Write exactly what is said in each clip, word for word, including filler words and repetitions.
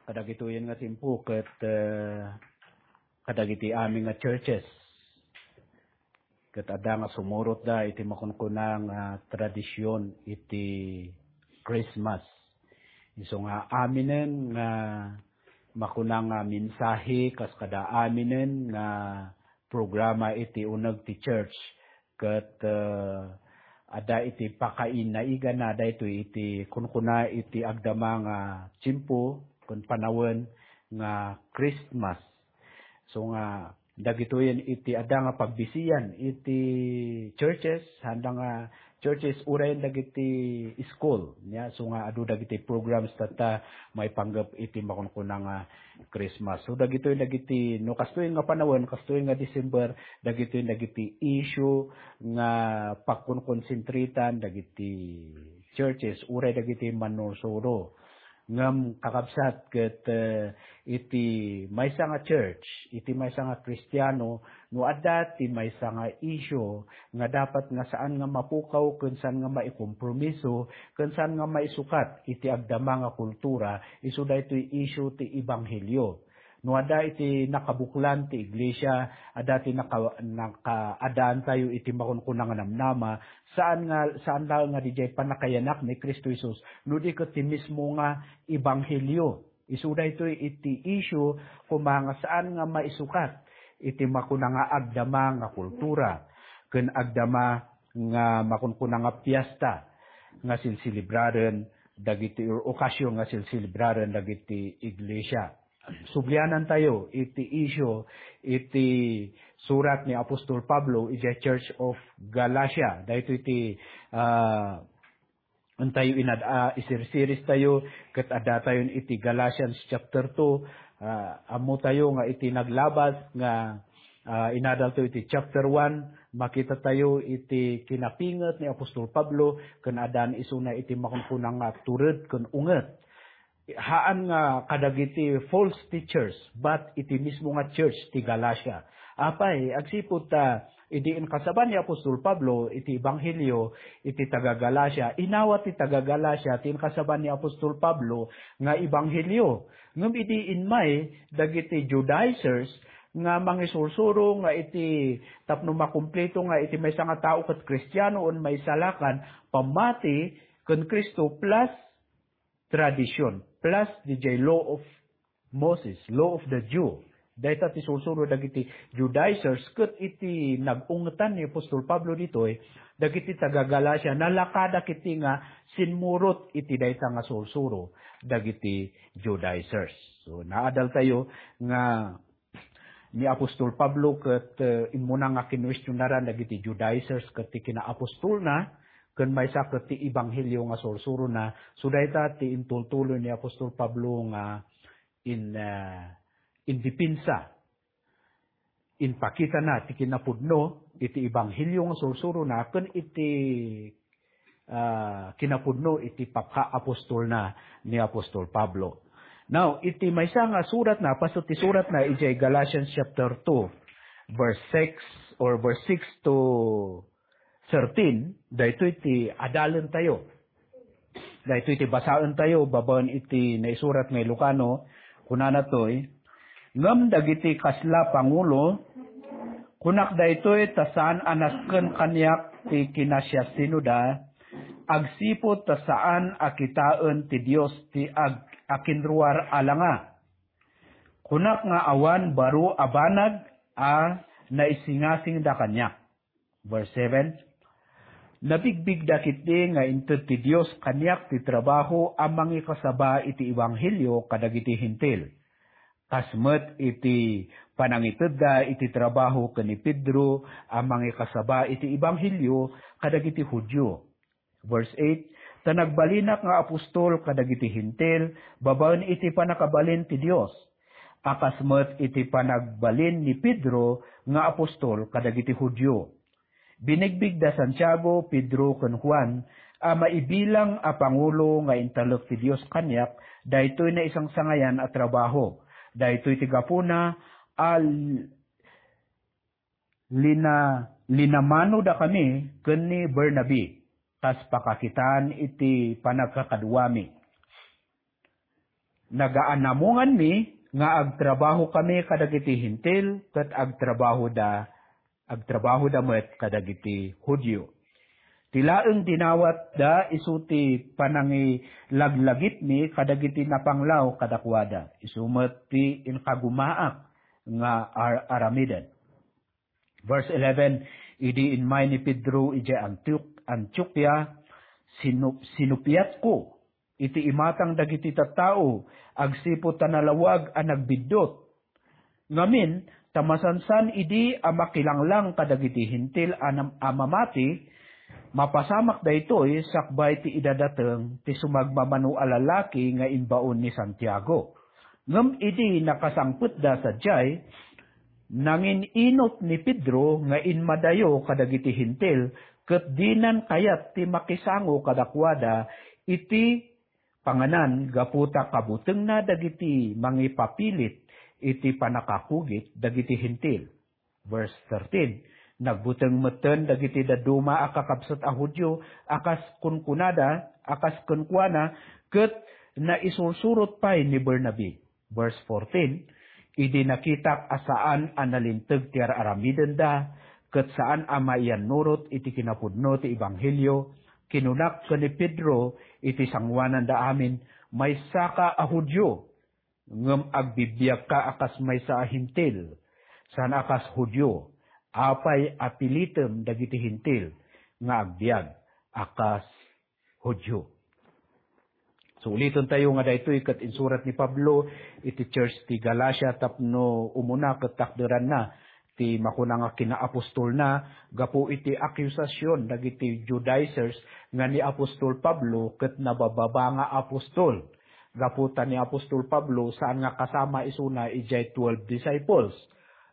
Kadagitoyen nga timpo ket, eh, kadagiti amin nga churches ket adda nga sumurotda iti makunkuna nga tradisyon iti Christmas. Isu nga aminen nga makuna nga mensahe kas kada aminen nga programa iti uneg ti church ket, eh, adda iti pakainaigana daytoy iti kunkuna iti agdama nga tiempo ken panawen nga Christmas. So nga dagitoyen iti adda nga pagbisian iti churches, sanda nga churches uray dagiti school, nia, so nga adu dagiti programs tatta maipanggep iti makunkuna nga Christmas. So dagitoy dagiti, no, kastoy nga panawen, kastoy nga December, dagitoy dagiti issue nga pagkonkonsentritan dagiti churches uray dagiti mannursuro. Ngem kakabsat ket, eh, iti maysa nga church, iti maysa nga Kristiano, no adda ti maysa nga issue nga dapat nga saan nga mapukaw ken saan nga maikompromiso ken saan nga maisukat iti agdama nga kultura, isu daytoy issue ti ebanghelio. No adda iti nakabuklan ti iglesia, adda ti naka-, nakaadaantayo iti makunkuna nga namnama, saan nga, saan laeng nga didiay pannakayanak ni Cristo Jesus, no di ket ti mismo nga ebanghelio. Isu daytoy iti issue koma nga saan nga maisukat iti makuna nga agdama nga kultura ken agdama nga makunkuna nga piesta nga silsilibraren dagiti, or okasyon nga silsilibraren dagiti iglesia. Sublianantayo iti issue iti surat ni Apostol Pablo idiay Church of Galatia. Daytoy ti, ah, intayo inad-, ah, isirsiris tayo ket adda tayon iti Galatians chapter two. Ah, ammo tayo nga iti naglabas nga, ah, inadalto iti chapter one, makita tayo iti kinapinget ni Apostol Pablo ken addaan isuna iti makunkuna nga tured ken unget. Haan nga kadagiti false teachers, but iti mismo nga church ti Galatia. Apay, agsipud ta idi inkasaba ni Apostol Pablo iti ebanghelio iti taga-Galatia, inawat ti taga-Galatia ti inkasaba ni Apostol Pablo nga ebanghelio. Ngem idi immay dagiti Judaizers nga mangisursuro nga iti tapno makumpleto nga iti maysa nga tao ket Kristiano wenno maisalakan, pammati ken Cristo plus tradition, plus didiay Law of Moses, Law of the Jew. Dayta ti sursuro dagiti Judaizers ket iti nag-ungetan ni Apostol Pablo ditoy, dagiti taga-Galatia, nalakada ketdi nga simmurot iti dayta nga sursuro dagiti Judaizers. So, naadaltayo nga ni Apostol Pablo ket, eh, immuna nga kinuestionaran dagiti Judaizers ket ti kinaapostolna, ken maysa ket ti ebanghelio nga sursurona. So, dayta ti intultuloy ni Apostol Pablo nga in, eh, in depensa, inpakitana ti kinapudno iti ebanghelio nga sursurona ken iti ah, kinapudno iti pakaapostolna ni Apostol Pablo. Now, iti maysa nga suratna, pasto ti suratna idiay Galatians chapter two, verse six or verse six to thirteen, daytoy ti adalentayo. Daytoy ti basaentayo babaen iti naisurat nga Ilocano, kunana toy, Ngem dagiti kasla pangulo, kunak daytoy ta saan a nasken kaniak ti kinasiasinoda, agsipud ta saan a kitaen ti Dios ti ag-, akinruar a langa. Kunak nga awan baro a banag a naisingasingda kaniak. Verse seven, Nabigbigda ketdi nga inted ti Dios kaniak ti trabaho a mangikasaba iti ebanghelio kadagiti Hentil. Kas met iti panangitedda iti trabaho ken ni Pedro a mangikasaba iti ebanghelio kadagiti Judio. Verse eight, Ta nagbalinak nga apostol kadagiti Hentil babaen iti pannakabalin ti Dios, a kas met iti panagbalin ni Pedro nga apostol kadagiti Judio. Binigbig da Santiago, Pedro, ken Juan a maibilang a pangulo nga intalek ti Dios kaniak daytoy naisangsangayan a trabaho. Daytoy ti gapuna a l-, lina-, linamanodakami ken ni Bernabe, kas pakakitaan iti panagkakaduami. nagaanamonganmi nga agtrabahokami kadagiti Hentil ket agtrabahoda, agtrabahoda met kadagiti Judio. Ti laeng dinawatda isu ti panangilaglagipmi kadagiti napanglaw kadakuada, isu met ti inkagumaak nga ar-, aramiden. Verse eleven, idi immay ni Pedro idiay Antiok-, Antiokia, sinu-, sinupiatko iti imatang dagiti tattao agsipud ta nalawag a nagbiddut. Ngamin, ta masansan idi a makilanglang kadagiti Hentil a nam-, a mamati, mapasamak daytoy sakbay ti idadateng ti sumagmamano a lalaki nga imbaon ni Santiago. Ngem idi nakasangpetda sadiay, nanginunot ni Pedro nga immadayo kadagiti Hentil, ket dinan kayat ti makisango kadakuada iti panganan gapu ta kabutengna dagiti mangipapilit iti pannakakugit dagiti Hentil. Verse thirteen, nagbuteng metten dagiti dadduma a kakabsat a Judio a kas kunkunada, a kas kenkuana, ket naisursurot pay ni Bernabe. Verse fourteen, idi nakitak a saan a nalinteg ti ar-aramidenda, ket saan a maiyannurot iti kinapudno ti ebanghelio, kinunak ken ni Pedro iti sangoananda amin, maysaka a Judio, ngem agbibiagka a kas maysa a Hentil, saan a kas Judio. Apay a pilitem dagiti Hentil nga agbiag a kas Judio? So, uliten tayo nga daytoy ket insurat ni Pablo iti church ti Galacia tapno umuna ket takderanna ti makuna nga kinaapostolna gapu iti akusasyon dagiti Judaizers nga ni apostol Pablo ket nabababa nga apostol. Gapu ta ni apostol Pablo saan nga kasama isuna idiay twelve disciples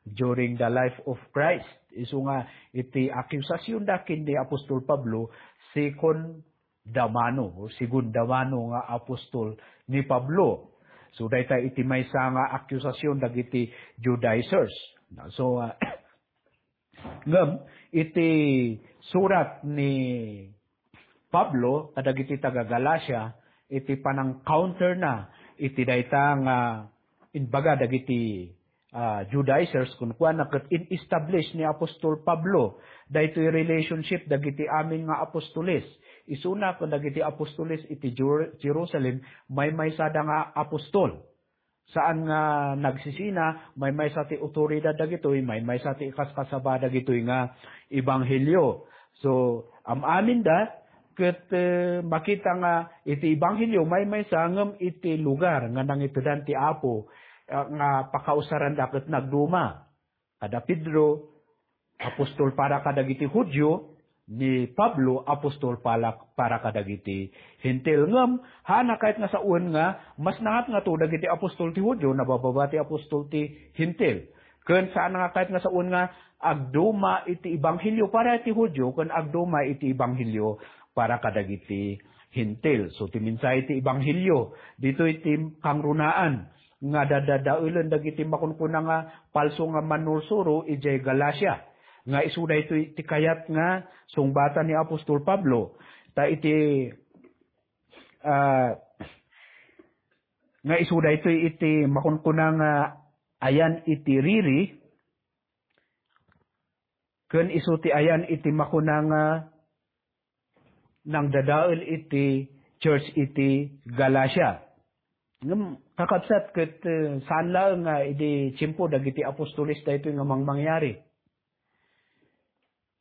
during the life of Christ. Isu nga iti akusasyonda ken ni apostol Pablo, second da mano or segunda mano nga apostol ni Pablo. So, dayta iti maysa nga akusasyon dagiti Judaizers. So, ah, ngem iti surat ni Pablo kadagiti taga-Galacia, iti panang-counter na iti dayta nga imbaga dagiti ah, Judaizers, kunkuana, ket in-establish ni Apostol Pablo daytoy relationship dagiti amin nga apostoles. Isuna ken dagiti apostoles iti Jer-, Jerusalem, maymaysada nga apostol. Saan nga nagsisina, maymaysa ti awtoridad dagitoy, maymaysa ti ikaskasaba dagitoy nga ebanghelio. So, am-aminda, ket, eh, makita nga iti ebanghelio maymaysa ngem iti lugar nga nangitedan ti Apo, ah, nga pakausaranda ket nagduma. Kada Pedro, apostol para kadagiti Judio, ni Pablo, apostol para, para kadagiti Hentil. Ngem, haanna kayat nga sawen nga mas naatngato dagiti apostol ti Judio, nabababa ti apostol ti Hentil. Ken saan nga kayat nga sawen nga agduma iti ebanghelio para iti Judio ken agduma iti ebanghelio para kadagiti Hentil. So, ti mensahe ti ebanghelio, ditoy ti kangrunaan nga dadadaelen dagiti makunkuna nga palso nga mannursuro idiay Galacia. Nga isu daytoy ti kayat nga sungbatan ni Apostol Pablo. Ta iti, ah, nga isu daytoy iti makunkuna nga ayan iti riri, ken isu ti ayan iti makuna nga nangdadael iti church iti Galacia. Ngem, kakabsat, ket, eh, saan laeng nga idi tiempo dagiti apostoles daytoy nga mangmangyari.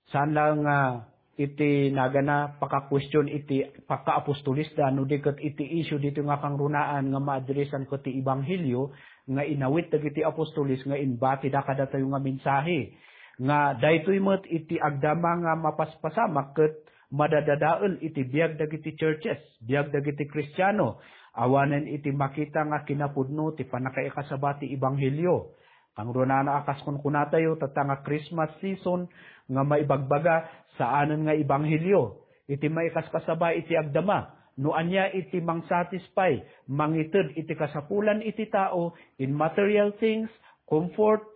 Saan laeng nga iti nagana pakakuestion iti pakaapostolesda, no di ket iti issue ditoy nga kangrunaan nga maadresan ket ti ebanghelio nga inawit dagiti apostoles nga imbatida kadatayo nga mensahe. Nga daytoy met iti agdama nga mapaspasamak ket madadadael iti biag dagiti churches, biag dagiti Kristiano, awanen iti makita nga kinapudno ti pannakaikasaba ti ebanghelio. Kangrunaan a kas kunkunatayo, tatta nga Christmas season nga maibagbaga, saanen nga ebanghelio. Iti maikaskasaba iti agdama, no ania iti mangsatisfy, mangited iti kasapulan iti tao in material things, comfort,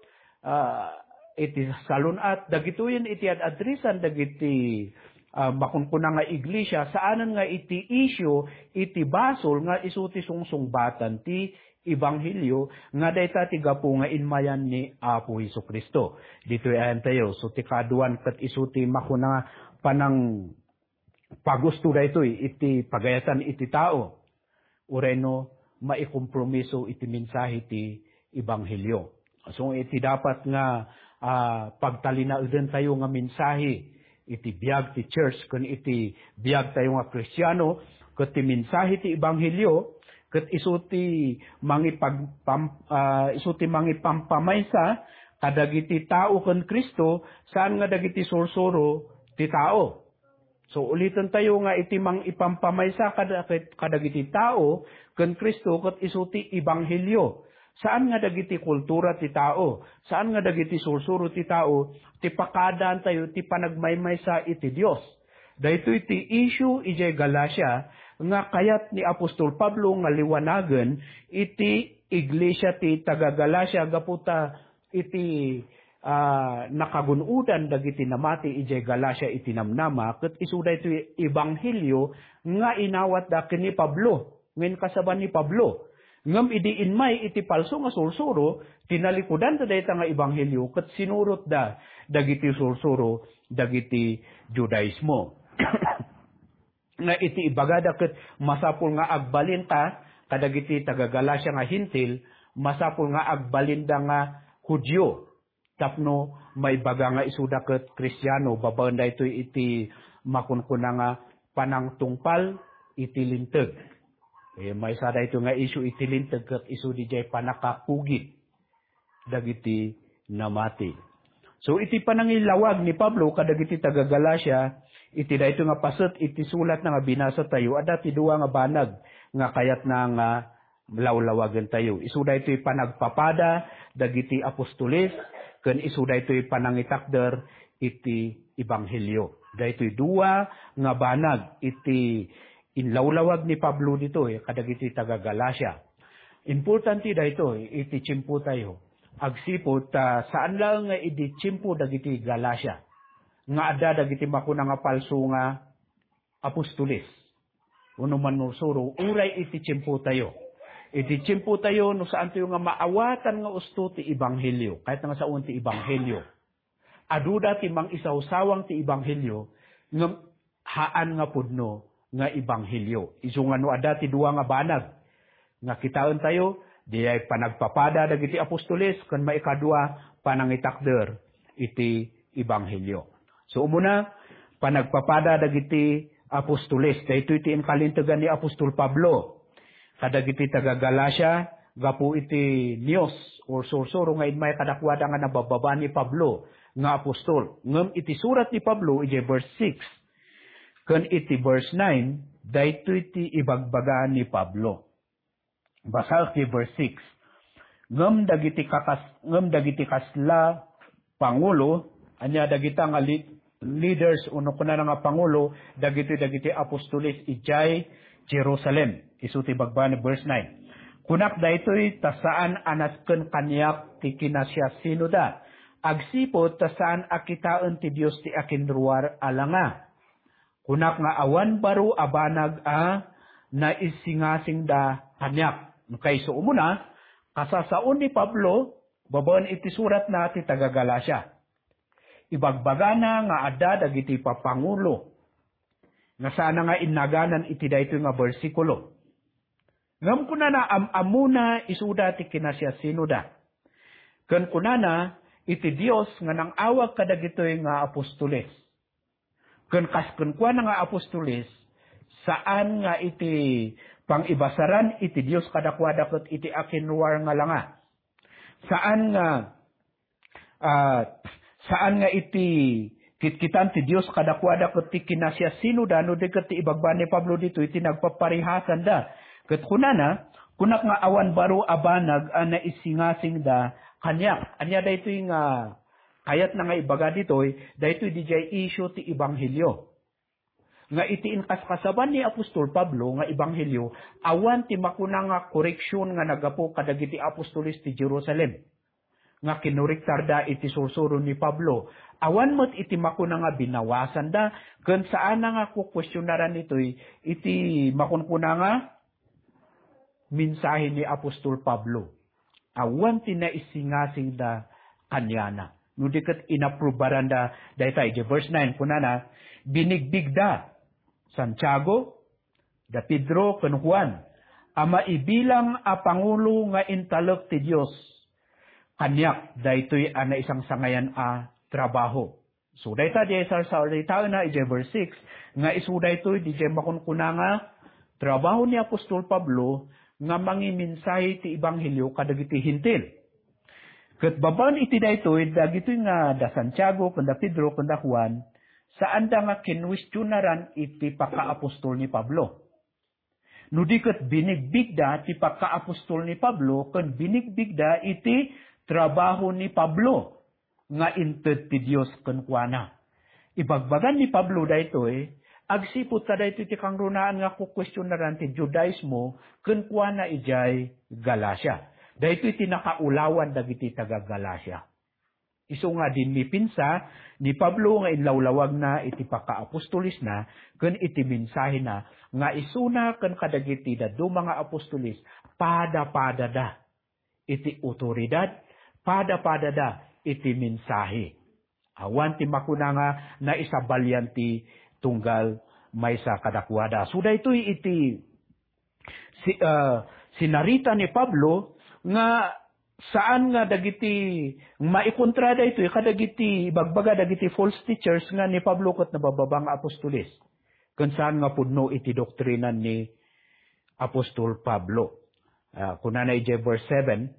ah, iti salun-at, dagitoyen iti ad-addressan dagiti ah, makunkuna nga iglesia, saanen nga iti issue, iti basol nga isu ti sungsungbatan ti ebanghelio nga dayta ti gapu nga inmayan ni Apo Jesu-Cristo. Ditoy ayantayo, so ti kaaduan ket isu ti makuna nga panang pagusto daytoy iti pagayatan iti tao. Uray no maikompromiso iti mensahe ti ebanghelio. So, iti dapat nga, ah, pagtalinaedentayo nga mensahe iti biag ti church ken iti biagtayo nga Kristiano, ket ti mensahe ti ebanghelio, ket isu ti mangipag-, pam-, ah, isu ti mangipampamaysa kadagiti tao ken Cristo, saan nga dagiti sursuro ti tao. So, ulitentayo nga iti mangipampamaysa kada-, kadagiti tao ken Cristo ket isu ti ebanghelio. Saan nga dagiti kultura ti tao, saan nga dagiti sursuro ti tao ti pakaadaantayo ti panagmaymaysa iti Dios. Daytoy ti issue idiay Galacia nga kayat ni Apostol Pablo nga liwanagen iti iglesia ti taga-Galacia gapu ta iti, ah, nakagun-odan dagiti namati idiay Galacia iti namnama, ket isu daytoy ebanghelio nga inawatda ken ni Pablo, nga inkasaban ni Pablo. Ngem idi inmay iti palso nga sursuro, tinalikudanda dayta nga ebanghelio ket sinurotda dagiti sursuro dagiti Judaismo. Nga iti ibagada ket masapul nga agbalinka kadagiti taga-Galacia nga Hentil, masapul nga agbalinda nga Judio, tapno maibaga nga isuda ket Kristiano, babaen daytoy iti makunkuna nga panangtungpal iti Linteg. Eh, maysa daytoy nga issue iti Linteg ket isu didiay pannakakugit dagiti namati. So, iti panangilawag ni Pablo kadagiti taga-Galacia, iti daytoy nga paset iti sulatna nga binasatayo, adda ti dua nga banag nga kayatna nga lawlawagentayo. Isu daytoy panagpapada dagiti apostoles, ken isu daytoy panangitakder iti ebanghelio. Daytoy dua nga banag iti inlawlawag ni Pablo ditoy kadagiti taga-Galacia. Importante daytoy iti tiempotayo. Agsipud ta saan laeng nga idi tiempo dagiti Galacia nga adda dagiti makuna nga palso nga apostoles wenno mannursuro, uray iti tiempotayo. Iti tiempotayo, no saantayo nga maawatan nga usto ti ebanghelio, kayat nga sawen ti ebanghelio. Aduda ti mangisawsawang ti ebanghelio, ngem haan nga pudno nga ebanghelio. Isu nga no adda ti dua nga banag nga kitaentayo, diay panagpapada dagiti apostoles, ken maikadua, panangitakder iti ebanghelio. So, umuna, panagpapada dagiti apostoles. Daytoy ti inkalintegan ni Apostol Pablo kadagiti taga-Galacia gapu iti news or sursuro nga immay kadakuada nga nababbaba ni Pablo nga apostol. Ngem iti surat ni Pablo, iti verse six ken iti verse nine, daytoy ti ibagbaga ni Pablo. Basaek ti verse six. Ngem dagiti kakas-, ngem dagiti kasla pangulo, ania dagita nga li-, leaders, wenno kunana nga pangulo, dagiti, dagiti apostoles idiay Jerusalem. Isu ti bagbaga ni verse nine. Kunak daytoy ta saan a nasken kaniak ti kinasiasinoda. Agsipud ta saan a kitaen ti Dios ti akinruar a langa. Kunak nga awan baro a banag a naisingasingda kaniak. Kayso umuna, kasasao ni Pablo, babaen iti suratna ti taga-Galacia. Ibagbagana nga adda dagiti papangulo nga saanna nga innaganan iti daytoy nga bersikulo. Ngem kunana, am-ammona isuda ti kinasiasinoda. Ken kunana, iti Dios nga nang-awag kadagitoy nga apostoles. Ken kas kenkuana nga apostoles, saan nga iti pangibasaran iti Dios kadakuada ket iti akinruar nga langa. Saan nga, ah, saan nga iti kitkitan ti Dios kadakuada ket ti kinasiasinoda, no di ket ti ibagbaga ni Pablo ditoy ti nagpaparihasanda. Ket kunana, kunak nga awan baro a banag a naisingasingda kaniak. Ania daytoy nga kayatna nga ibaga ditoy, daytoy didiay issue ti ebanghelio. Nga iti inkaskasaban ni Apostol Pablo nga ebanghelio, awan ti makuna nga koreksion nga naggapu kadagiti apostoles ti Jerusalem. nga kinurektarda iti sursuro ni Pablo. Awan met iti makuna nga binawasanda, ken saanna nga kukuestionaran itoy iti makunkuna nga mensahe ni Apostol Pablo. Awan ti naisingasingda kaniana. No di ket inaprubaranda dayta. Iti verse nine, kunana, "Binigbigda Santiago, da Pedro, ken Juan, a maibilang a pangulo nga intalek ti Dios. Kaniak daytoy a naisangsangayan a trabaho." So, dayta diay sarsaritaenna idiay verse six, nga isu daytoy diay makunkuna nga trabaho ni Apostol Pablo nga mangimensahe ti ebanghelio kadagiti Hentil. Ket babaen iti daytoy, dagitoy nga da Santiago, ken da Pedro, ken da Juan, saanda nga kinuestionaran iti pakaapostol ni Pablo. No di ket binigbigda ti pakaapostol ni Pablo ken binigbigda iti trabaho ni Pablo nga inted ti Dios kenkuana. Ibagbagan ni Pablo daytoy, agsipud ta daytoy ti kangrunaan nga kukuestionaran ti Judaismo kenkuana idiay Galacia. Daytoy ti nakaulawan dagiti taga-Galacia. Isu nga dimmipinsa ni Pablo nga inlawlawagna iti pakaapostolesna ken iti mensahena nga isuna ken kadagiti dadduma nga apostoles, pada-padada iti otoridad, pada-padada iti mensahe. Awan ti makuna nga naisabalian ti tunggal maysa kadakuada. So, daytoy iti si-, ah, sinarita ni Pablo nga saan nga dagiti maikontra daytoy kadagiti ibagbaga dagiti false teachers nga ni Pablo ket nabababa nga apostoles. Ken saan nga pudno iti doktrina ni Apostol Pablo. Ah, kunana idiay verse seven,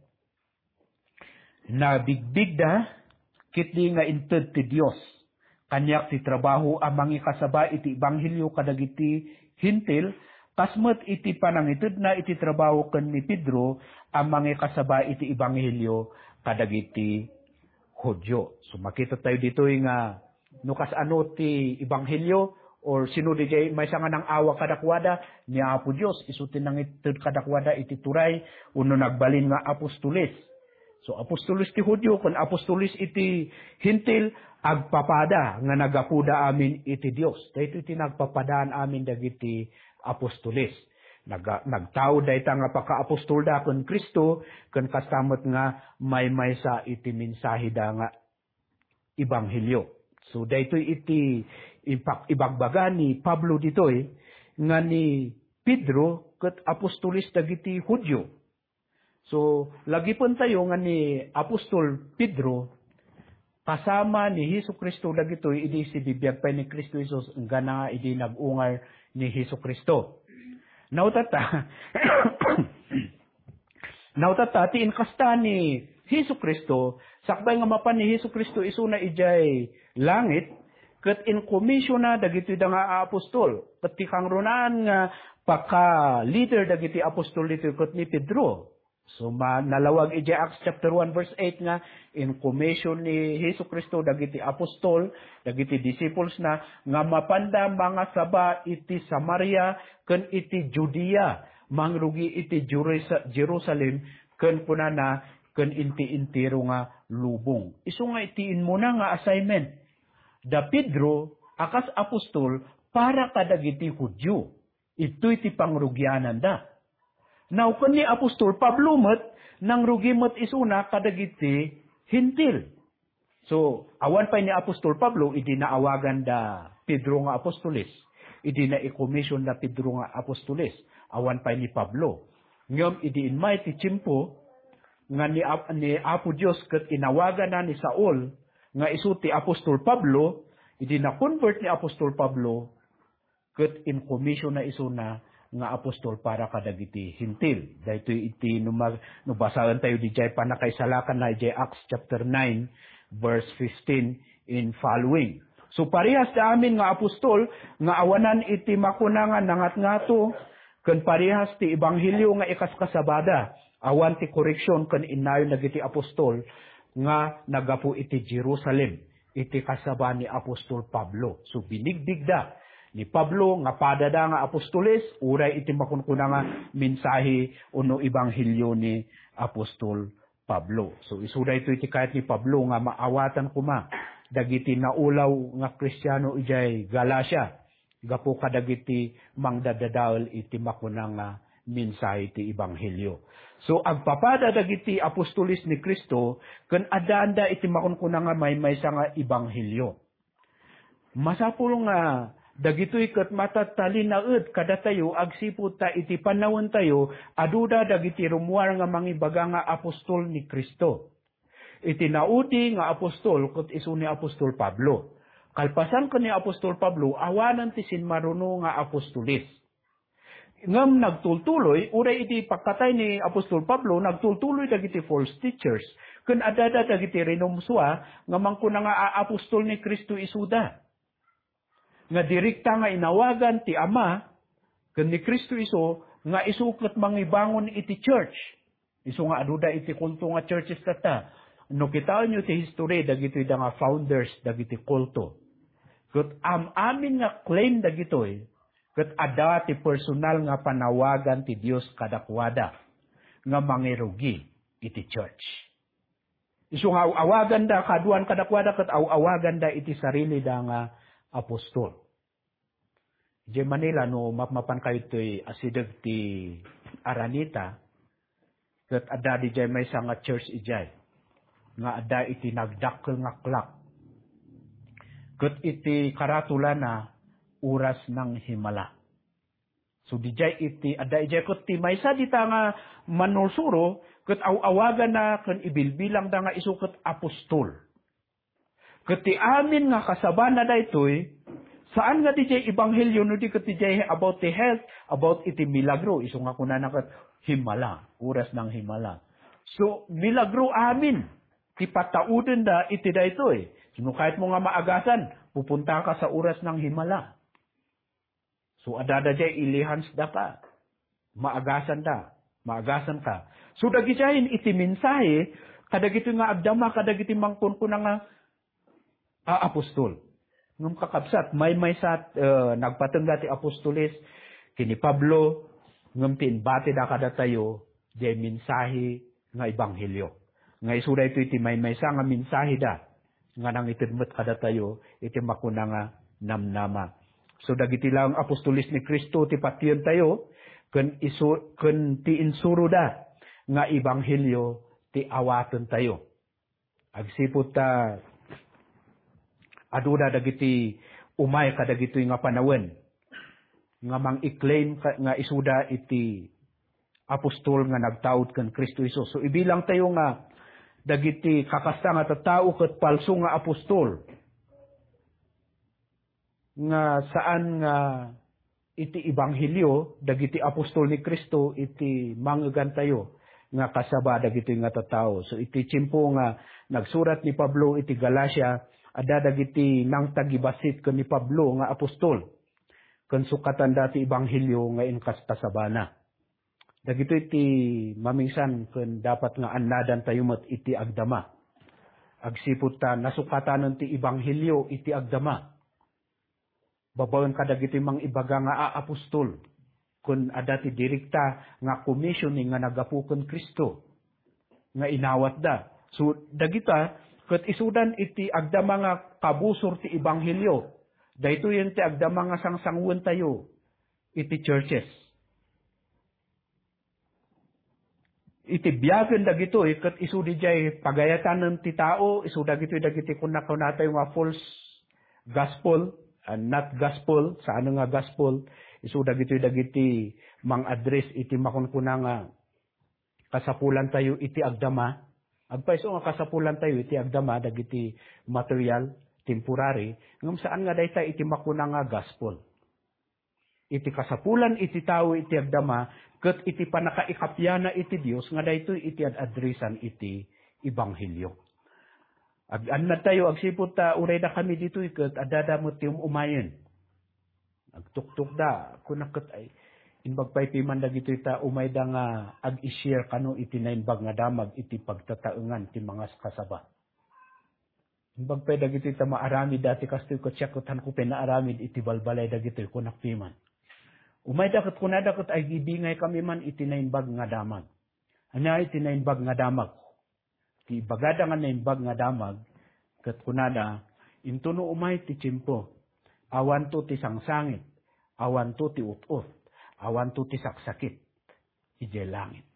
"Nabigbigda ketdi nga inted ti Dios kaniak ti trabaho a mangikasaba iti ebanghelio kadagiti Hentil, kas met iti panangitedna iti trabaho ken ni Pedro a mangikasaba iti ebanghelio kadagiti Judio." So, makita tayo ditoy nga no kasano ti ebanghelio, or sino diay maysa nga nang-awag kadakuada, ni Apo Dios, isu ti nangited kadakuada iti turay, wenno nagbalin nga apostoles. So, apostoles ti Judio ken apostoles iti Hentil, agpapada nga naggapuda amin iti Dios. Daytoy ti nagpapadaan amin dagiti apostoles. Nag-, nagtaud dayta nga pakaapostolda ken Cristo, ken kasta met nga maymaysa iti mensaheda nga ebanghelio. So, daytoy iti ipak-, ibagbaga ni Pablo ditoy nga ni Pedro ket apostoles dagiti Judio. So, lagipentayo nga ni Apostol Pedro kasama ni Jesu-Cristo dagitoy idi sibibiag pay ni Cristo Jesus, enggana nga idi nag-ungar ni Jesu-Cristo. Nautata, nautata, ti inkasta ni Jesu-Cristo, sakbay nga mapan ni Jesu-Cristo isuna idiay langit, ket inkomisiona dagitoy da nga apostol. Ket ti kangrunaan nga paka-leader dagiti apostol ditoy ket ni Pedro. So, ma-, nalawag idiay Acts chapter one verse eight nga inkomision ni Jesu-Cristo dagiti apostol, dagiti disciples na, nga mapanda mangasaba iti Samaria ken iti Judea, mangrugi iti Jerus-, Jerusalem, ken kunana, ken inti entero nga lubong. Isu nga iti immuna nga assignment da Pedro a kas apostol para kadagiti Judio. Itoy ti pangrugiananda. Now, ken ni apostol Pablo met, nangrugi met isuna kadagiti Hentil. So, awan pay ni apostol Pablo, idi naawagan da Pedro nga apostoles. Idi naikomision da Pedro nga apostoles, awan pay ni Pablo. Ngem idi immay ti tiempo nga ni Ap-, ni Apo Dios ket inawagana ni Saul nga isu ti apostol Pablo, idi na-convert ni apostol Pablo, ket inkomisionna isuna nga apostol para kadagiti Hentil. Daytoy iti no ma-, no basaentayo didiay pannakaisalakanna idiay Acts chapter nine, verse fifteen in following. So, parehas da amin nga apostol nga awanan iti makuna nga nangatngato, ken parehas ti ebanghelio nga ikaskasabada, awan ti koreksion ken innayon dagiti apostol nga naggapu iti Jerusalem. Iti kasaba ni apostol Pablo. So, binigbigda ni Pablo nga padada nga apostoles, uray iti makunkuna nga mensahe wenno ebanghelio ni apostol Pablo. So, isu daytoy ti kayat ni Pablo nga maawatan koma dagiti naulaw nga Kristiano idiay Galacia gapu kadagiti mangdadadael iti makuna nga mensahe ti ebanghelio. So, agpapada dagiti apostoles ni Cristo ken addaanda iti makunkuna nga maymaysa nga ebanghelio. Masapul nga dagitoy ket matatalinaed kadatayo agsipud ta iti pannawentayo, aduda dagiti rummuar nga mangibaga nga apostol ni Cristo. Iti naudi nga apostol ket isu ni apostol Pablo. Kalpasan ken ni apostol Pablo, awanen ti simmaruno nga apostoles. Ngem nagtultuloy, uray iti pagkatay ni apostol Pablo, nagtultuloy dagiti false teachers. Ken addada dagiti rinumsua nga mangkuna nga aapostol ni Cristo isuda. Nga direkta nga inawagan ti Ama ken ni Cristo isu nga isu ket mangibangon iti church. Isu nga aduda iti kulto nga churches tatta. No kitaenyo ti history, dagitoy da nga founders dagiti kulto. Ket am-amin nga claim dagitoy, ket adda ti personal nga panawagan ti Dios kadakuada nga mangirugi iti church. Isu nga aw-awaganda kaduan kadakuada ket aw-awaganda iti sarilida nga apostol. Idiay Manila, no mapmapan kayo toy asideg ti Araneta, ket adda didiay maysa nga church idiay, nga adda iti nagdakkel nga clock. Ket iti karatulana, oras nang himala. So, didiay iti, adda idiay ket ti maysa dita nga manursuro, ket aw-awagana ken ibilbilangda nga isu ket apostol. Ket ti amin nga kasabana daytoy, saan nga didiay ebanghelio no di ket didiay about ti health, about iti milagro, isu nga kunana ket himala, oras nang himala. So, milagro amin ti pataudenda iti daytoy. So, no kayatmo nga maagasan, pupuntaka sa oras nang himala. So, adda diay ilihansda ka. Maagasanda. Maagasanka. So, dagidiay iti mensahe, kadagitoy nga agdama, kadagiti mangkunkuna nga, a, apostol. Ngem kakabsat, maymaysa, eh, nagpatengga ti apostoles, ken ni Pablo, ngem ti imbatida kadatayo, diay mensahe nga ebanghelio. Nga isu daytoy ti maymaysa nga mensaheda nga nangited met kadatayo iti makuna nga namnama. So, dagiti laeng apostoles ni Cristo ti patiyentayo, ken isu-, ken ti insuroda nga ebanghelio ti awatentayo. Agsipud ta aduda dagiti umay kadagitoy nga panawen nga mang-i-claim ka-, nga isuda iti apostol nga nagtaud ken Cristo Jesus. So, ibilangtayo nga dagiti kakasta nga tattao ket palso nga apostol nga saan nga iti ebanghelio dagiti apostol ni Cristo iti mangegantayo nga kasaba dagitoy nga tattao. So, iti tiempo nga nagsurat ni Pablo iti Galacia, adda dagiti nangtagibassit ken ni Pablo nga apostol, ken sukatanda ti ebanghelio nga inkasabana. Dagitoy ti mamingsan ken dapat nga annadantayo met iti agdama. Agsipud ta nasukatanen ti ebanghelio iti agdama. Babaen kadagiti mangibaga nga aapostol, ken adda ti direkta nga commissioning nga naggapu ken Cristo nga inawatda. So, dagita ket isudan iti agdama nga kabusor ti ebanghelio. Daytoyen ti agdama nga sangsanguentayo iti churches. Iti biagen dagitoy, ket isu didiay pagayatanen ti tao, isu dagitoy dagiti kunkunatayo nga false gospel, ah, not gospel, saan nga gospel, isu dagitoy dagiti mang-address iti makunkuna nga kasapulantayo iti agdama. Agpayso nga kasapulantayo iti agdama dagiti material, temporary, ngem saan nga dayta iti makuna nga gospel. Iti kasapulan iti tao iti agdama, ket iti pannakaikapiana iti Dios nga daytoy iti ad-addressan iti ebanghelio. Ag-, annadtayo, agsipud ta uray dakami ditoy ket addada met ti um-umayen. Agtuktukda, kunak ket, ay, imbag pay piman dagitoy ta umayda nga ag-i-share kano iti Naimbag nga Damag iti pagtataengan ti mangaskasaba. Imbag pay dagitoy ta maaramid dati kastoy ket siak ket hanko pay naaramid iti balbalay dagitoy, kunak piman. Umayda ket kunada ket agbibingaykami man iti Naimbag nga Damag. Ania iti Naimbag nga Damag? Ti ibagada nga naimbag nga damag, ket kunada, "Intono umay ti tiempo, awanto ti sangsangit, awanto ti ut-ot, awanto ti saksakit idiay langit."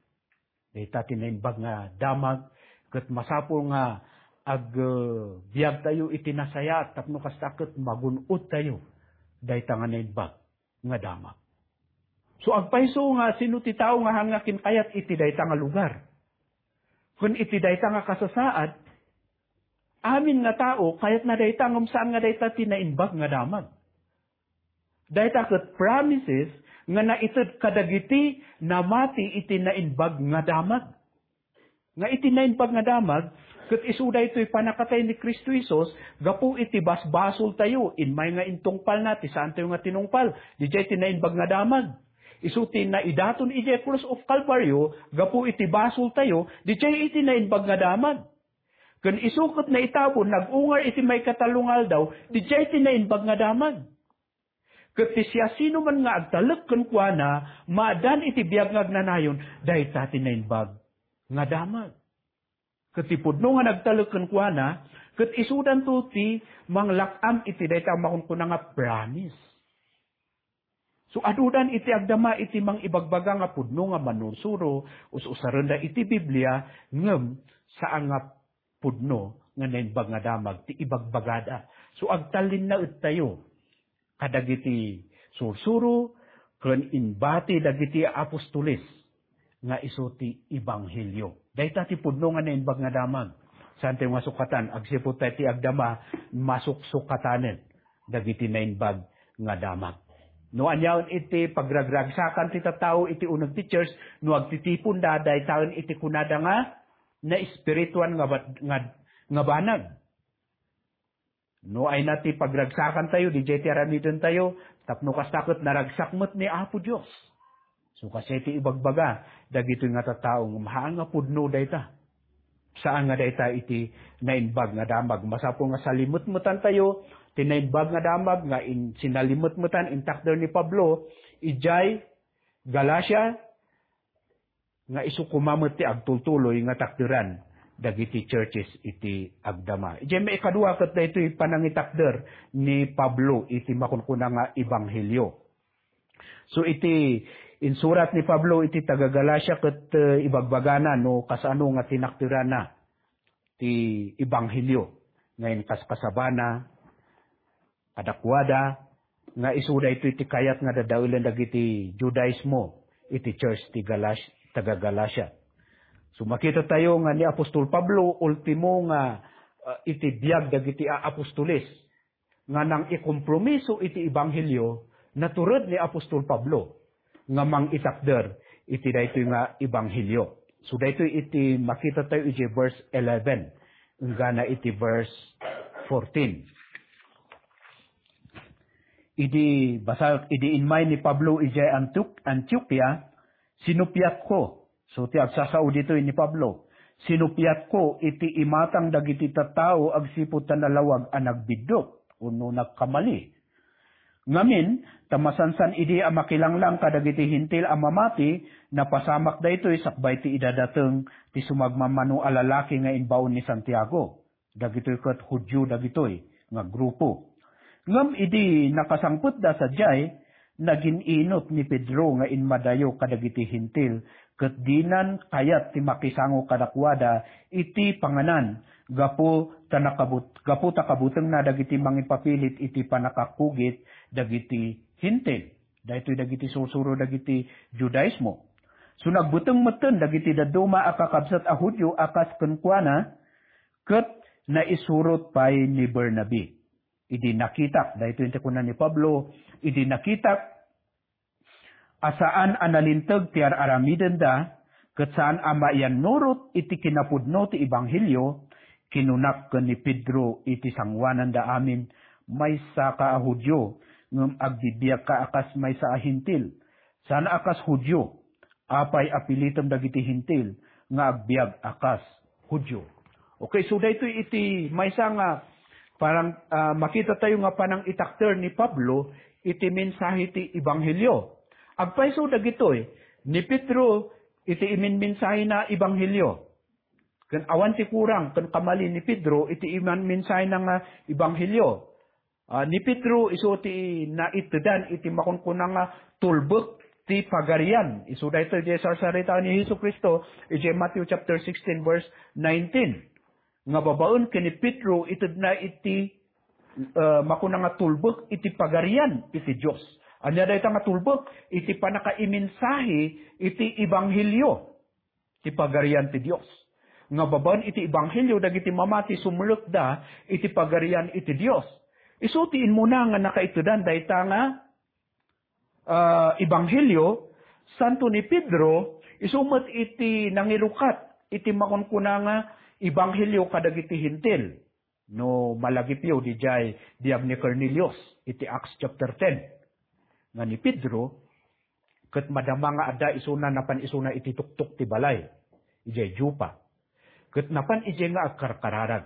Dayta ti naimbag nga damag, ket masapul nga ag-, eh, biagtayo iti nasayaat tapno kasta ket magun-odtayo dayta nga naimbag nga damag. So, agpayso nga sino ti tao nga haan nga kinkayat iti dayta nga lugar? Ken iti dayta nga kasasaad, amin nga tao, kayatna dayta, ngem saan nga dayta ti naimbag nga damag. Dayta ket promises nga naited kadagiti namati iti naimbag nga damag. Nga iti naimbag nga damag, ket isu daytoy pannakatay ni Cristo Jesus gapu iti basbasoltayo, immay nga intungpalna ti saantayo nga tinungpal, didiay ti naimbag nga damag. Isu ti naidaton idiay cross of Calvario gapu iti basoltayo, didiay iti naimbag nga damag. Ken isu ket naitabon, nag-ungar iti maikatallo nga aldaw, didiay ti naimbag nga damag. Ket ti siasinoman nga agtalek kenkuana, maaddaan iti biag nga agnanayon, dayta ti naimbag nga damag. Ket ti pudno nga nagtalek kenkuana, ket isudanto ti manglak-am iti dayta a makunkuna nga promise. So, adudan iti agdama iti mangibagbaga nga pudno nga manursuro, us-usarenda iti Biblia, ngem saan nga pudno nga naimbag nga damag ti ibagbagada. So, agtallinnaedtayo kadagiti sursuro ken imbati dagiti apostoles nga isu ti ebanghelio. Dayta ti pudno nga naimbag nga damag. Saantayo nga sukatan, agsipud tayo ti agdama, masuksukatanen dagiti naimbag nga damag. No aniaen iti pagragragsakan ti tattao iti uneg ti church, no agtitiponda, daytaen iti kunada nga naespirituan nga bat-, nga, nga banag. No ayna ti pagragsakantayo, didiay ti aramidentayo, tapno kasta ket naragsak met ni Apo Dios. So, kasdiay ti ibagbaga dagitoy nga tattao, ngem haan nga pudno dayta. Saan nga dayta iti naimbag nga damag. Masapul nga salimetmetantayo ti naimbag nga damag nga in-, sinalimetmetan, intakder ni Pablo idiay Galacia, nga isu koma met ti agtultuloy nga takderan dagiti churches iti agdama. Idiay maikadua ket daytoy panangitakder ni Pablo iti makunkuna nga ebanghelio. So, iti insurat ni Pablo iti taga-Galacia ket, eh, ibagbagana no kasano nga tinakderana ti ebanghelio nga inkaskasabana kadakuada nga isu daytoy ti kayat nga dadaelen dagiti Judaismo iti church ti Galash-, taga-Galacia. So, makitatayo nga ni Apostol Pablo, ultimo nga, ah, iti biag dagiti a-, apostoles nga nangikompromiso iti ebanghelio, natured ni Apostol Pablo nga mangitakder iti daytoy nga ebanghelio. So, daytoy iti makitatayo iti verse eleven, enggana iti verse fourteen. Idi basa-, idi immay ni Pablo idiay Antiok-, Antioquia, sinupiatko. So, ti agsasao ditoy ni Pablo, "Sinupiatko iti imatang dagiti tattao agsipud ta nalawag a nagbiddut wenno nagkamali." Ngamin, ta masansan idi a makilanglang kadagiti Hentil a mamati, napasamak daytoy sakbay ti idadateng ti sumagmamano a lalaki nga imbaon ni Santiago. Dagitoy ket Judio dagitoy nga grupo. Ngem idi nakasangpetda sadiay, nagin-inut ni Pedro nga immadayo kadagiti Hentil, ket dinan kayat ti makisango kadakuada iti panganan, gapu ta nakabut-, gapu ta kabutengna dagiti mangipapilit iti pannakakugit dagiti Hentil. Daytoy dagiti sursuro dagiti Judaismo. So, nagbuteng metten dagiti dadduma a kakabsat a Judio a kas kenkuana, ket naisurot pay ni Bernabe. Idi nakitak, daytoy ti kuna ni Pablo, idi nakitak a saan a nalinteg ti ar-aramidenda, ket saan a maiyannurot iti kinapudno ti ebanghelio, kinunak ken ni Pedro iti sangoananda amin, "Maysaka a Judio, ngem agbibiagka a kas maysa a Hentil. Saan a kas Judio. Apay a pilitem dagiti Hentil nga agbiag a kas Judio?" Okay, so daytoy iti maysa nga parang, ah, makitatayo nga panangitakder ni Pablo iti mensahe ti ebanghelio. Agpayso dagitoy, ni Pedro iti iminmensahena ebanghelio. Ken awan ti kurang ken kamali ni Pedro iti iman mensahena nga ebanghelio. Ah, ni Pedro isu ti naitdan iti makunkuna nga tulbek ti pagarian. Isu daytoy diay sarsarita ni Jesu-Cristo idiay Matthew chapter sixteen, verse nineteen. Nga babaen ken ni Pedro, itedna iti, ah, makuna nga tulbek iti pagarian iti Dios. Ania dayta nga tulbek? Iti pannakaimensahe iti ebanghelio ti pagarian ti Dios. Nga babaen iti ebanghelio, dagiti mamati sumrekda iti pagarian iti Dios. Isu ti immuna nga nakaitedan dayta nga, ah, ebanghelio. Santo ni Pedro, isu met iti nangirukat iti makunkuna nga ebanghelio kadagiti Hentil. No malagipyo, didiay biag ni Cornelius iti Acts chapter ten, nga ni Pedro ket madama nga adda isuna, napan isuna iti tuktok ti balay idiay Joppa. Ket napan idiay nga agkarkararag.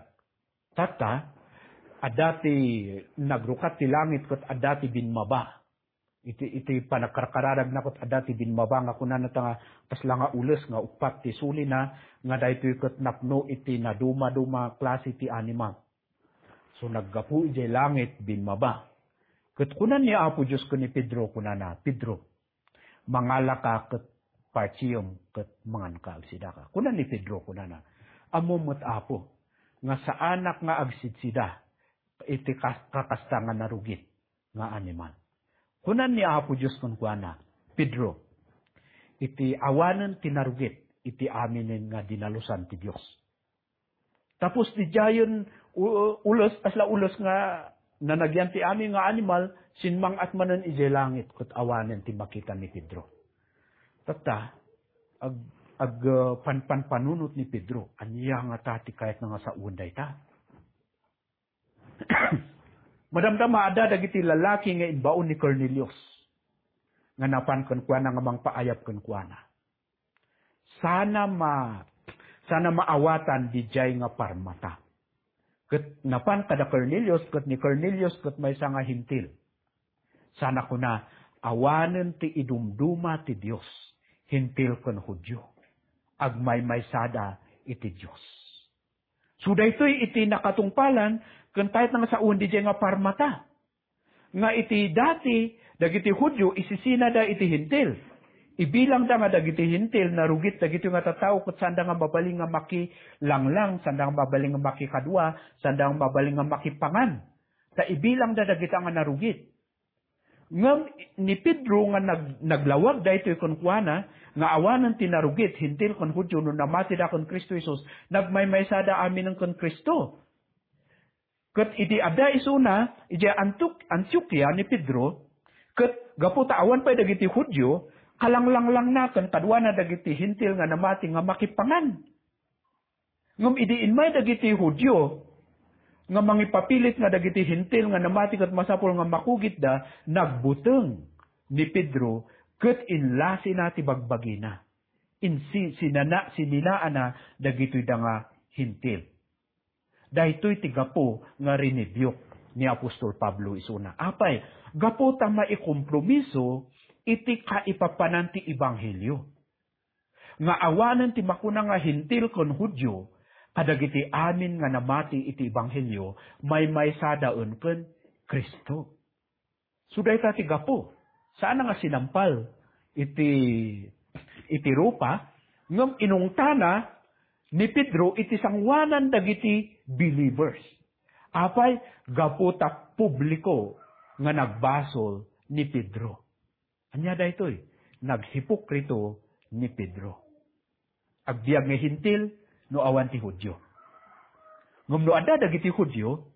Tatta, adda ti nagrukat ti langit ket adda ti bimmaba. Iti, iti panagkarkararagna ket adda ti bimmaba nga kunana ta nga kasla nga ules nga uppat ti sulina, nga daytoy ket napno iti nadumaduma klase ti animal. So, naggapu idiay langit, bimmaba. Ket kunan ni Apo Dios ken ni Pedro, kunana, "Pedro, mangalaka ket partiem ket manganka agsidaka." Kunan ni Pedro, kunana, "Ammom met, Apo, nga saanak nga agsidsida iti kas-, kakasta nga narugit nga animal." Kunan ni Apo Dios kenkuana, "Pedro, iti awanen ti narugit iti aminen nga dinalusan ti Dios." Tapos didiayen u-, ules, kasla ules nga nanagyan ti amin nga animal, simmang-at manen idiay langit ket awanen ti makita ni Pedro. Tatta, ag-, ag-, ah, pan-, panpanunot ni Pedro, ania ngata ti kayatna nga sawen dayta? Madamdama adda dagiti lalaki nga imbaon ni Cornelius nga napan kenkuana nga mangpaayab kenkuana. Sana ma-, sana maawatan didiay nga parmata. Ket napan kada Cornelius, ket ni Cornelius ket maysa nga Hentil. Sana kuna, awanen ti idumduma ti Dios, Hentil ken Judio. Agmaymaysada iti Dios. So, daytoy iti nakatungpalan ken kayatna nga sawen didiay nga parmata. Nga iti dati, dagiti Judio, isisinada iti Hentil. Ibilangda nga dagiti Hentil, narugit dagitoy nga tattao ket saanda nga mabalin nga makilanglang, saanda nga mabalin nga makikadua, saanda nga mabalin nga makipangan. Ta ibilangda dagita nga narugit. Ngem ni Pedro nga nag-, naglawag daytoy kenkuana, nga awanen ti narugit, Hentil ken Judio, no namatida ken Cristo Jesus, nagmaymaysada aminen ken Cristo. Ket idi adda isuna idiay Antiok-, Antiokia ni Pedro, ket gapu ta awan pay dagiti Judio, kalanglanglangna ken kaduana dagiti Hentil nga namati nga makipangan. Ngem idi immay dagiti Judio nga mangipapilit nga dagiti Hentil nga namati ket masapul nga makugitda, nagbuteng ni Pedro ket inlasina ti bagbagina. Insi-, sinana-, sininaana dagitoy da nga Hentil. Daytoy ti gapu nga rinibiuk ni Apostol Pablo isuna. Apay, gapu ta maikompromiso iti kaipapanan ti ebanghelio. Nga awanen ti makuna nga Hentil ken Judio, kadagiti amin nga namati iti ebanghelio, maymaysadaen ken Cristo. So, dayta ti gapu. Saan nga sinampal iti, iti rupa, ngem inungtana ni Pedro iti sangoanan dagiti believers. Apay, gapu ta publiko nga nagbasol ni Pedro. Ania daytoy? Naghipokrito ni Pedro. Agbiag nga Hentil no awan ti Judio. Ngem no adda dagiti Judio,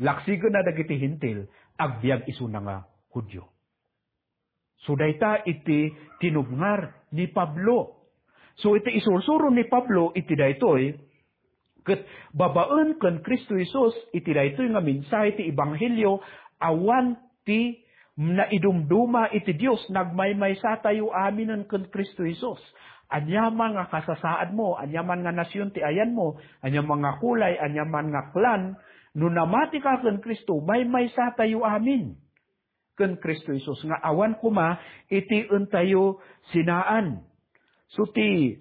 laksigena dagiti Hentil, agbiag isuna nga Judio. So, dayta iti tinubngar ni Pablo. So, iti isursuro ni Pablo iti daytoy, ket babaen ken Cristo Jesus, iti daytoy nga mensahe ti ebanghelio, awan ti naidumduma iti Dios, nagmaymaysatayo aminen ken Cristo Jesus. Aniaman nga kasasaadmo, aniaman nga nasion ti ayanmo, aniaman nga kulay, aniaman nga clan, no namatika ken Cristo, maymaysatayo amin ken Cristo Jesus, nga awan koma iti entayo sinaan. So, ti,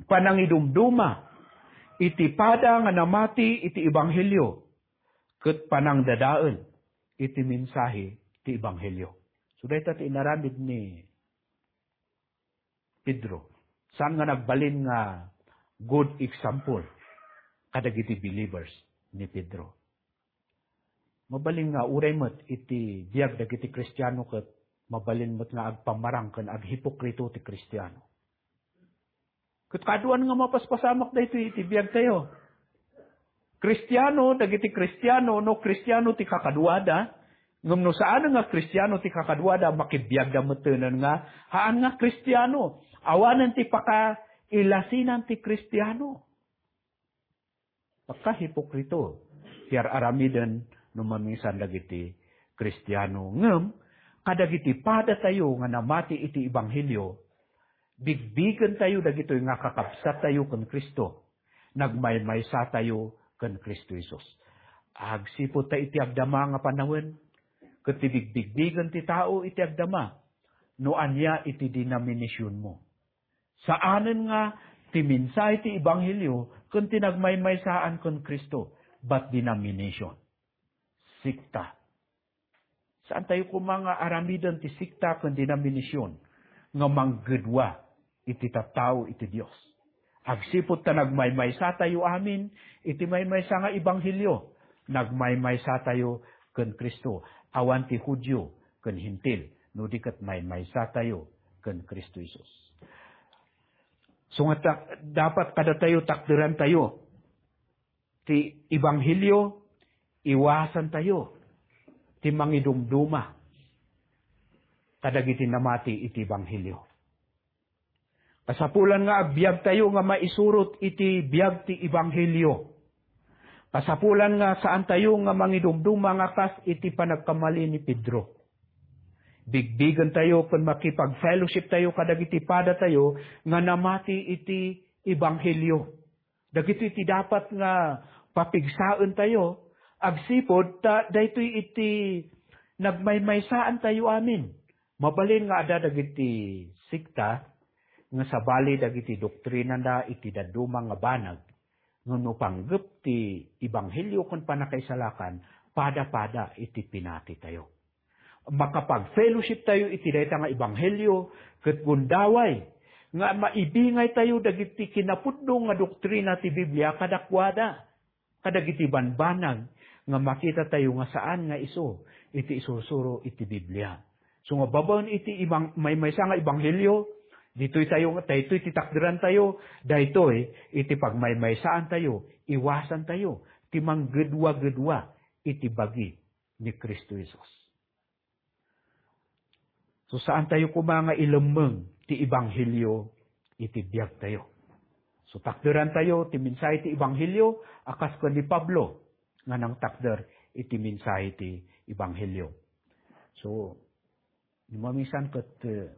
panangidumduma iti pada nga namati iti ebanghelio, ket panangdadael iti mensahe ti ebanghelio. So, dayta ti inaramid ni Pedro. Saan nga nagbalin nga good example kadagiti believers ni Pedro. Mabalin nga uray met iti biag dagiti Kristiano ket mabalin met nga agpamarang ken aghipokrito ti Kristiano. Ket kaduan nga mapaspasamak daytoy iti biagtayo. Kristiano dagiti Kristiano, no Kristiano ti kakaduada, ngem no saan nga Kristiano ti kakaduada, makibiagda metten nga haan nga Kristiano. Awanen ti pakailasinan ti Kristiano. Pagkahipokrito ti ar-aramiden no mamisan dagiti Kristiano. Ngem kadagiti padatayo nga namati iti ebanghelio, bigbigentayo dagitoy nga kakabsattayo ken Cristo. Nagmaymaysatayo ken Cristo Jesus. Agsipud ta iti agdama nga panawen, ket ti bigbigbigen ti tao iti agdama, no ania iti denominationmo. Saanen nga ti mensahe ti ebanghelio ken ti nagmaymaysaan ken Cristo, but denomination. Sekta. Saantayo koma nga aramiden ti sekta ken denomination nga manggedua iti tattao iti Dios. Agsipud ta nagmaymaysatayo amin iti maymaysa nga ebanghelio, nagmaymaysatayo ken Cristo, awan ti Judio ken Hentil, no di ket maymaysatayo ken Cristo Jesus. So nga ta-, dapat kadatayo takderantayo ti ebanghelio, iwasantayo ti mangidumduma kadagiti namati iti ebanghelio. Kasapulan nga agbiagtayo nga maisurot iti biag ti ebanghelio. Kasapulan nga saantayo nga mangidumduma nga kas iti panagkamali ni Pedro. Bigbigentayo ken makipag-fellowshiptayo kadagiti padatayo nga namati iti ebanghelio. Dagitoy ti dapat nga papigsaentayo, agsipud ta daytoy iti nagmaymaysaantayo amin. Mabalin nga adda dagiti sekta nga sabali dagiti doktrinanda iti dadduma nga banag, ngem no panggep ti ebanghelio ken pannakaisalakan, pada-pada iti pinatitayo. Makapag-fellowshiptayo iti dayta nga ebanghelio ket gundaway nga maibingaytayo dagiti kinapudno nga doktrina ti Biblia kadakuada, kadagiti banbanag nga makitatayo nga saan nga isu iti isursuro iti Biblia. So nga babaen iti ibang-, maymaysa nga ebanghelio, ditoy tayo, daytoy ti takderantayo, daytoy iti pagmaymaysaantayo, iwasantayo ti manggedua-gedua iti bagi ni Cristo Jesus. So, saantayo koma nga ilemmeng ti ebanghelio iti biagtayo. So, takderantayo ti mensahe ti ebanghelio a kas ken ni Pablo nga nangtakder iti mensahe ti ebanghelio. So, no mamisan ket, eh,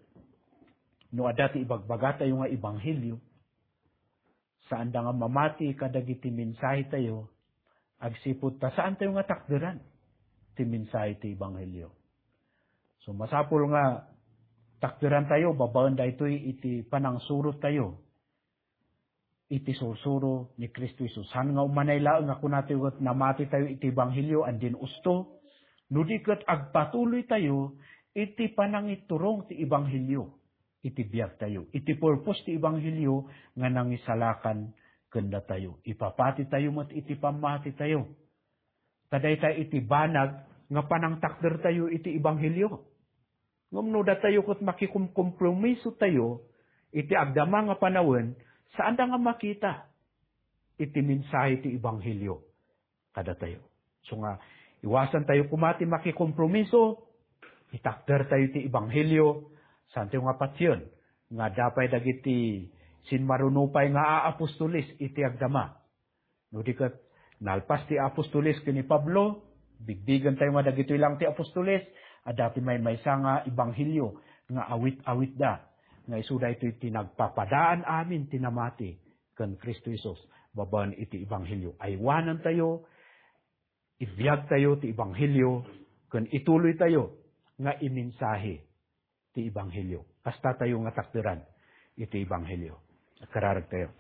no adda ti ibagbagatayo nga ebanghelio, saanda nga mamati kadagiti mensahetayo, agsipud ta saantayo nga takderan ti mensahe ti ebanghelio. So, masapul nga takderantayo babaen daytoy iti panangsurottayo iti sursuro ni Cristo Jesus. Saan nga umanay laeng nga kunatayo ket namatitayo iti ebanghelio, andin usto, no di ket agpatuloytayo iti panangiturong ti ebanghelio iti biagtayo, iti purpose ti ebanghelio nga nangisalakan ken datayo. Ipapatitayo met iti pammatitayo. Ta dayta iti banag nga panangtakdertayo iti ebanghelio. Ngem no datayo ket makikumkompromisotayo iti agdama nga panawen, saanda nga makita iti mensahe ti ebanghelio kadatayo. So nga, iwasantayo koma ti makikompromiso, itakdertayo ti ebanghelio, saantayo nga patien nga adda pay dagiti simmaruno pay nga aapostoles iti agdama. No di ket, nalpas ti apostoles ken ni Pablo, bigbigentayo nga dagitoy lang ti apostoles, adda ti maymaysa nga ebanghelio nga awit-awitda, nga isu daytoy ti nagpapadaan amin ti namati ken Cristo Jesus babaen iti ebanghelio. Aywanantayo, ibiagtayo ti ebanghelio, ken ituloytayo nga imensahe ti ebanghelio. Kastatayo nga takderan iti ebanghelio. Kararag tayo.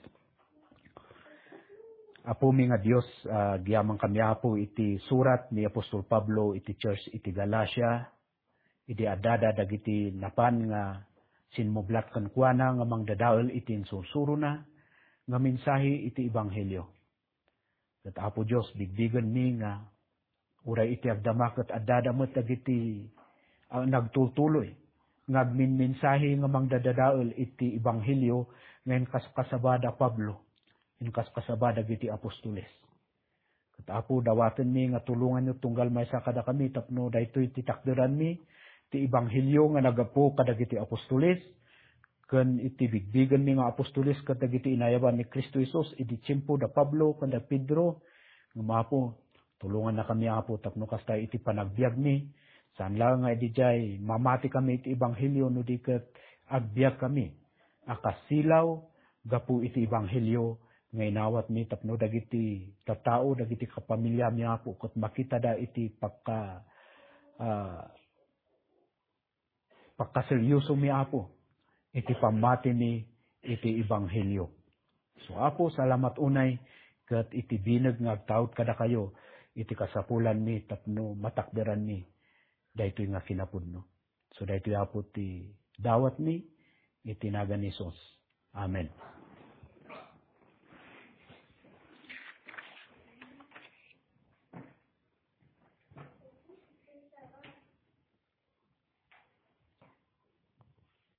Apo mi nga Dios, ah, agyamankami, Apo, iti surat ni Apostol Pablo iti church iti Galacia, idi addada dagiti napan nga simmublat kenkuana nga mangdadael iti insursurona nga mensahe iti ebanghelio. Ket, Apo Dios, bigbigenmi nga uray iti agdama ket addada met dagiti, ah, nagtultuloy nga agminmensahe nga mangdadadael iti ebanghelio nga inkaskasaba da Pablo, inkaskasaba dagiti apostoles. Ket, Apo, dawatenmi nga tulonganyo tunggal maysa kadakami tapno daytoy ti takderanmi ti ebanghelio nga naggapu kadagiti apostoles, ken iti bigbigenmi nga apostoles ket dagiti inayaban ni Cristo Jesus idi tiempo da Pablo ken da Pedro. Ngem, Apo, tulongannakami, Apo, tapno kasta iti panagbiagmi, saan laeng nga idiay mamatikami iti ebanghelio no di ket agbiagkami a kas silaw gapu iti ebanghelio nga inawatmi tapno dagiti tattao, dagiti kapamiliami, Apo, ket makitada iti pakka-, ah, pakkaseriosomi, Apo, iti pammatimi iti ebanghelio. So, Apo, salamat unay ket iti bineg nga agtaud kadakayo iti kasapulanmi tapno matakderanmi daytoy nga kinapudno. So, daytoy, Apo, ti dawatmi iti nagan ni Jesus. Amen.